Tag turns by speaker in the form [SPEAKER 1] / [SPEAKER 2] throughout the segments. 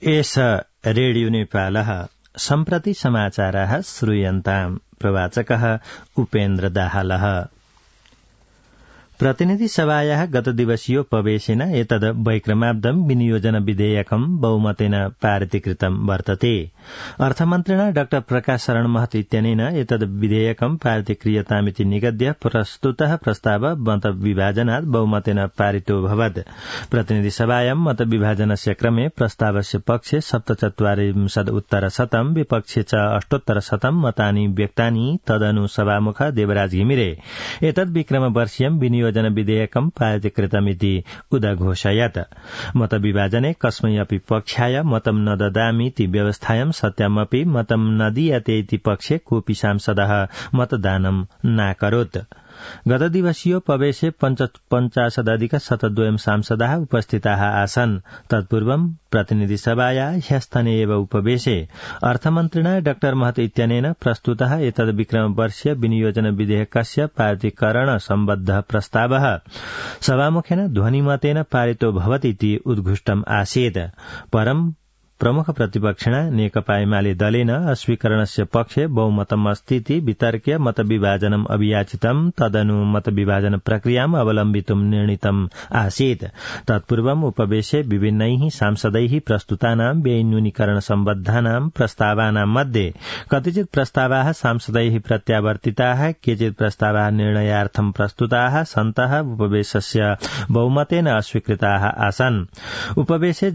[SPEAKER 1] एष रेडियो नेपालः सम्प्रति समाचाराः श्रूयन्ताम्। प्रवाचकः उपेन्द्र दाहालः। प्रतिनिधि सभायाः गतदिवसीयोपवेशेन एतद् वैक्रमाब्दं विनियोजन विधेयकं बहुमतेन पारितीकृतं वर्तते। अर्थमन्त्रिणा डाक्टर प्रकाश शरण महत इत्यनेन एतद् विधेयकं पारितीक्रियतामिति निगद्य प्रस्तुतः प्रस्ताव मतविभाजनात् बहुमतेन पारितोऽभवत्। प्रतिनिधि सभायां मतविभाजनस्य क्रमे प्रस्तावस्य पक्षे 47% विपक्षे च 68% मतानि व्यक्तानि। तदनु सभामुख देवराज घिमिरे एतद् विक्रमवर्षीयं विनियोजन विधेयकं पारितीकृतमिति उदघोषयत्। मतविभाजने कस्मै अपि पक्षाय मतं न ददामीति व्यवस्थायां सत्यमपि मतं न दीयते पक्षे कोऽपि सांसदः मतदानं नाकरोत्। गतदिवसीयोपवेशे 50,000 सांसदाः उपस्थिताः आसन्। तत्पूर्वं प्रतिनिधि सभाया ह्यस्तने एव उपवेशे अर्थमन्त्रिणा डाक्टर महत इत्यनेन प्रस्तुतः एतद् विक्रमवर्षीय विनियोजन विधेयकस्य पारितीकरण सम्बद्धः प्रस्तावः सभामुखेन ध्वनिमतेन पारितो भवतीति उद्घुष्टम् आसीत्। परं प्रमुख प्रतिपक्षिणा नेकपा एमाले दलेन अस्वीकरणस्य पक्षे बहुमतम् अस्तीति वितर्क्य मतविभाजनम् अभियाचितम्। तदनु मतविभाजन प्रक्रियाम् अवलम्बितुम् निर्णीतम् आसीत्। तत्पूर्वम् उपवेशे विभिन्नैः सांसदैः प्रस्तुतानां व्यय न्यूनीकरण सम्बद्धानां प्रस्तावानां मध्ये कतिचित् प्रस्तावाः सांसदैः प्रत्यावर्तिताः, केचित् प्रस्तावाः निर्णयार्थं प्रस्तुताः सन्तः उपवेशस्य बहुमतेन अस्वीकृताः आसन्। उपवेशे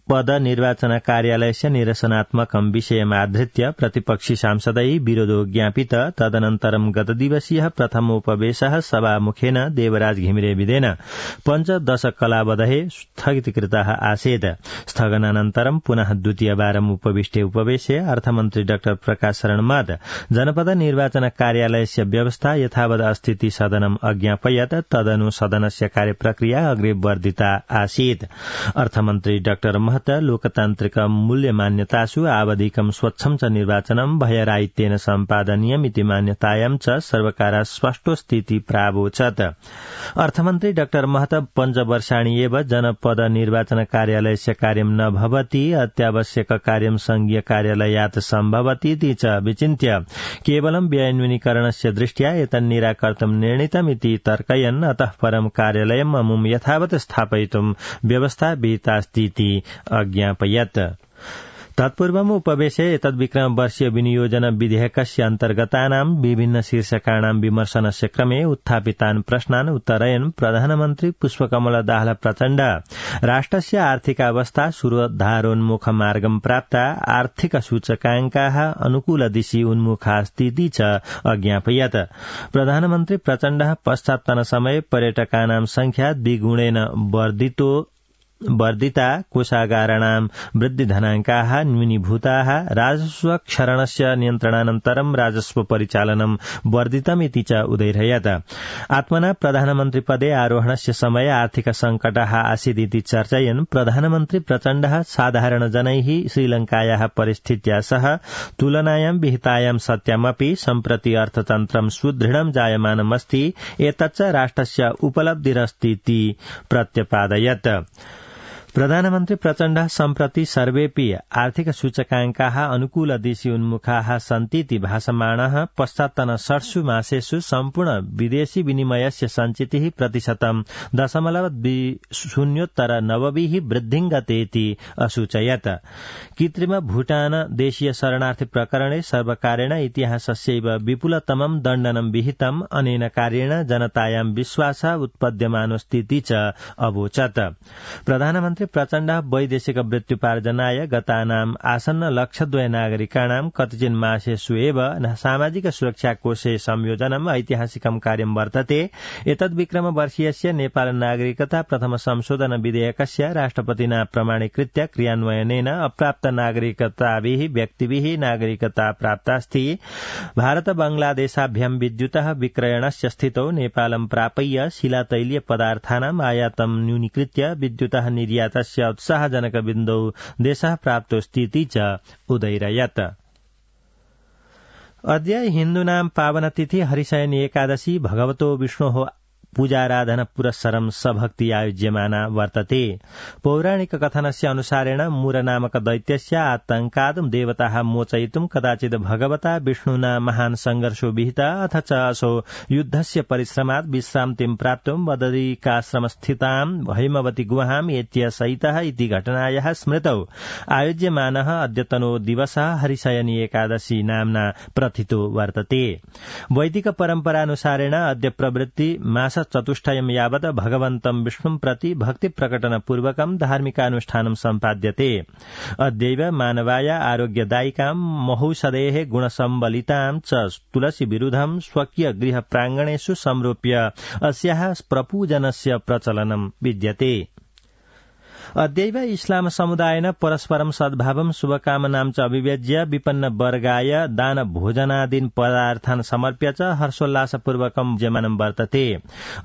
[SPEAKER 1] पद निर्वाचन कार्यालयस्य निरसनात्मकं विषयमाधृत्य प्रतिपक्षी सांसदैः विरोधो ज्ञापित। तदनन्तरं गतदिवसीयः प्रथमोपवेशः सभामुखेन देवराज घिमिरे विधेन 15 कलावधये स्थगितीकृतः आसीत्। स्थगनानन्तरं पुनः द्वितीयवारम् उपविष्टे उपवेशे अर्थमन्त्री डाक्टर प्रकाश शरण महत जनपद निर्वाचन कार्यालयस्य व्यवस्था यथावत् अस्तीति सदनम् अज्ञापयत्। तदनु सदनस्य कार्यप्रक्रिया अग्रे वर्धिता आसीत्। अर्थमन्त्री डाक्टर लोकतान्त्रिक मूल्यमान्यतासु आवधिकं स्वच्छं च निर्वाचनं भयराहित्येन सम्पादनीयमिति मान्यतायां च सर्वकारः स्पष्टोस्तीति प्रावोचत्। अर्थमन्त्री डाक्टर महत 5 वर्षाणि एव जनपद निर्वाचन कार्यालयस्य कार्यं न भवति, अत्यावश्यक कार्यं संघीय कार्यालयात् सम्भवतीति च विचिन्त्य केवलं व्ययन्यूनीकरणस्य दृष्ट्या एतन्निराकर्तुं निर्णीतमिति तर्कयन् अतः परं कार्यालयम् अमुं यथावत् स्थापयितुं व्यवस्था विहितास्तीति अज्ञापयत्। तत्पूर्वम् उपवेशे एतद्विक्रमवर्षीय विनियोजन विधेयकस्य अन्तर्गतानां विभिन्न शीर्षकाणां विमर्शनस्य क्रमे उत्थापितान् प्रश्नान् उत्तरयन् प्रधानमन्त्री पुष्पकमल दाहाल प्रचण्ड राष्ट्रस्य आर्थिकावस्था सुधारोन्मुख मार्गं प्राप्ता, आर्थिक सूचकाङ्काः अनुकूलदिशि उन्मुखास्तीति च अज्ञापयत्। प्रधानमन्त्री प्रचण्डः पश्चात्तनसमये पर्यटकानां संख्या द्विगुणेन वर्धिता, कोषागाराणां वृद्धिधनाङ्काः न्यूनीभूताः, राजस्वक्षरणस्य नियन्त्रणानन्तरं राजस्व परिचालनं वर्धितमिति च उदैरयत्। आत्मना प्रधानमन्त्रिपदे आरोहणस्य समये आर्थिक सङ्कटः आसीदिति चर्चयन् प्रधानमन्त्री प्रचण्डः साधारणजनैः श्रीलङ्कायाः परिस्थित्या सह तुलनायां विहितायां सत्यमपि सम्प्रति अर्थतन्त्रं सुदृढं जायमानमस्ति, एतच्च राष्ट्रस्य उपलब्धिरस्तीति प्रत्यपादयत्। प्रधानमन्त्री प्रचण्डः सम्प्रति सर्वेऽपि आर्थिक सूचकाङ्काः अनुकूलदिशि उन्मुखाः सन्तीति भासमाणः पश्चात्तन 6 मासेषु सम्पूर्ण विदेशी विनिमयस्य सञ्चितिः 0.20% वृद्धिं गतेति असूचयत्। कृत्रिम भूटान देशीय शरणार्थी प्रकरणे सर्वकारेण इतिहासस्यैव विपुलतमं दण्डनं विहितम्। अनेन कार्येण जनतायां विश्वासः उत्पद्यमानोऽस्तीति च अवोचत्। प्रधानमन्त्री प्रचण्डः वैदेशिक वृत्त्युपार्जनाय गतानाम् आसन्न 1,02,000 नागरिकाणां कतिचिन् मासेषु एव सामाजिक सुरक्षा कोषे संयोजनम् ऐतिहासिकं कार्यं वर्तते। एतद्विक्रमवर्षीयस्य नेपाल नागरिकता प्रथम संशोधन विधेयकस्य राष्ट्रपतिना प्रमाणीकृत्य क्रियान्वयनेन अप्राप्त नागरिकताभिः व्यक्तिभिः नागरिकता प्राप्तास्ति। भारत बांग्लादेशाभ्यां विद्युतः विक्रयणस्य स्थितौ नेपालं प्रापय्य शिलातैलीय पदार्थानाम् आयातं न्यूनीकृत्य विद्युतः निर्यात उत्साहजनक बिन्दौ देशः प्राप्तोऽस्तीति च उदैरयत्। अद्य हिन्दूनां पावनतिथि हरिशयनी एकादशी भगवतो विष्णोः पूजाराधन पुरस्सरं सभक्ति आयोज्यमाना वर्तते। पौराणिक कथनस्य अनुसारेण मूर नामक दैत्यस्य आतंकात् देवताः मोचयितुं कदाचित् भगवता विष्णुना महान् संघर्षो विहितः अथ च असौ युद्धस्य परिश्रमात् विश्रान्तिं प्राप्तुं बदरिकाश्रमस्थितां हैमवती गुहाम् एत्य सहितः इति घटनायाः स्मृतौ आयोज्यमानः अद्यतनो दिवसः हरिशयनी एकादशी नाम्ना प्रथितो वर्तते। वैदिक परम्परानुसारेण अद्य प्रवृत्ति मास चतुष्टयं यावत् भगवन्तं विष्णुं प्रति भक्ति प्रकटनपूर्वकं धार्मिकानुष्ठानं सम्पाद्यते। अद्यैव मानवाय आरोग्यदायिकां महौषधेः गुणसम्बलितां च तुलसी विरुद्धं स्वकीय गृह प्राङ्गणेषु संरोप्य अस्याः प्रपूजनस्य प्रचलनं विद्यते। अद्यैव इस्लाम समुदायेन परस्परं सद्भावं शुभकामनां च अभिव्यज्य विपन्न वर्गाय दान भोजनादीन् पदार्थान् समर्प्य च हर्षोल्लासपूर्वकं जमानं वर्तते।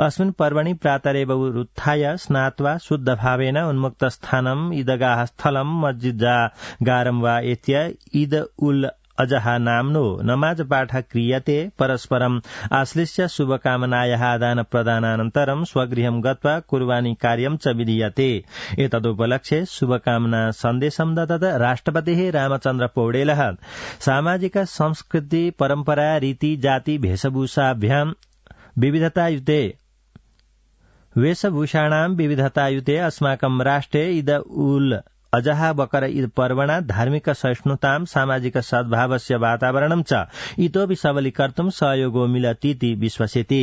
[SPEAKER 1] अस्मिन् पर्वणि प्रातरेव उत्थाय स्नात्वा शुद्धभावेन उन्मुक्त स्थानम् ईदगाह स्थलं मस्जिदागारं वा एत्य ईद उल अजहा नाम्नो नमाज पाठ क्रियते। परस्परम् आश्लिष्य शुभकामनायाः आदान प्रदानानन्तरं स्वगृहं गत्वा कुर्बानी कार्यं च विधीयते। एतदुपलक्ष्ये शुभकामना सन्देशं दत्त राष्ट्रपतिः रामचन्द्र पौडेलः सामाजिक संस्कृति परम्परा रीति जाति वेशभूषाभ्यां विविधतायुते वेशभूषाणां विविधतायुते अस्माकं राष्ट्रे ईद उल अजहा बकर ईद पर्वणा धार्मिक सहिष्णुतां सामाजिक सद्भावस्य वातावरणं च इतोपि सबलीकर्तुं सहयोगो मिलतीति विश्वसिति।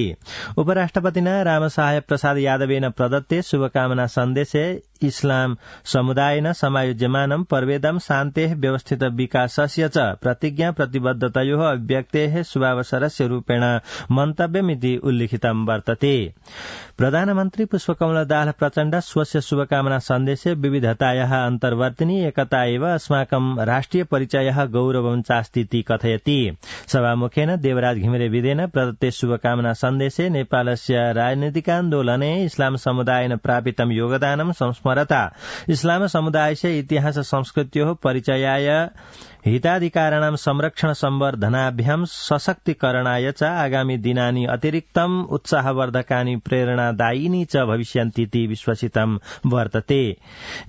[SPEAKER 1] उपराष्ट्रपतिना रामसहाय प्रसाद यादवेन प्रदत्ते शुभकामना सन्देशे इस्लाम समुदायेन समायोज्यमानं पर्वेदं शान्तेः व्यवस्थित विकासस्य च प्रतिज्ञा प्रतिबद्धतयोः अभिव्यक्तेः शुभावसरस्य रूपेण मन्तव्यमिति उल्लिखितं वर्तते। प्रधानमन्त्री पुष्पकमल दाहाल प्रचण्ड स्वस्य शुभकामना सन्देशे विविधतायाः अन्तर्वर्तिनी एकता एव अस्माकं राष्ट्रिय परिचयः गौरवं चास्तीति कथयति। सभामुखेन देवराज घिमिरे विदेन प्रदत्ते शुभकामना सन्देशे नेपालस्य राजनीतिकान्दोलने इस्लाम समुदायेन प्रापितं योगदानं संस्मरता इस्लाम समुदायस्य इतिहास संस्कृत्योः परिचयाय हिताधिकाराणां संरक्षण संवर्धनाभ्यां सशक्तिकरणाय च आगामी दिनानि अतिरिक्तम् उत्साहवर्धकानि प्रेरणादायिनी च भविष्यन्तीति विश्वसितं वर्तते।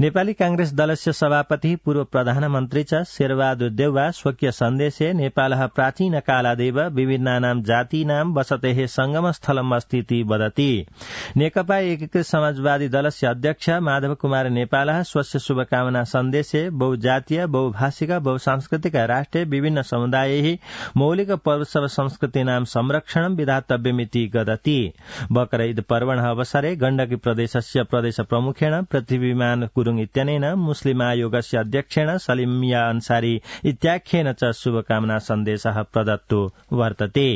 [SPEAKER 1] नेपाली कांग्रेस दलस्य सभापति पूर्व प्रधानमन्त्री च शेरबहादुर देउवा स्वकीय सन्देशे नेपालः प्राचीनकालादेव विभिन्नानां जातीनां वसतेः संगमस्थलम् अस्तीति वदति। नेकपा एकीकृत समाजवादी दलस्य अध्यक्ष माधव कुमार नेपालः स्वस्य शुभकामना सन्देशे बहुजातीय बहुभाषिक बहुसांस्कृतिक राष्ट्रे विभिन्न समुदायैः मौलिक पर्वोत्सव संस्कृतीनां संरक्षणं विधातव्यमिति वदति। बकर ईद पर्वणः अवसरे गण्डकी प्रदेशस्य प्रदेश प्रमुखेण पृथ्वीमान गुरुङ इत्यनेन मुस्लिम आयोगस्य अध्यक्षेण सलिमिया अन्सारी इत्याख्येन च शुभकामना सन्देशः प्रदत्तो वर्तते।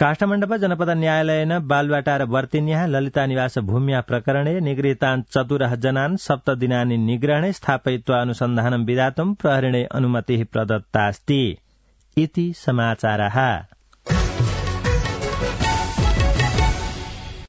[SPEAKER 1] काष्ठमण्डप जनपद न्यायालयेन बालुवाटार वर्तिन्याः ललिता निवास भूम्या प्रकरणे निगृहीतान् 14 जनान् 7 दिनानि निग्रहणे स्थापयित्वा अनुसन्धानं विधातुं प्रहरिणे अनुमतिः प्रदत्तास्ति इति समाचारः।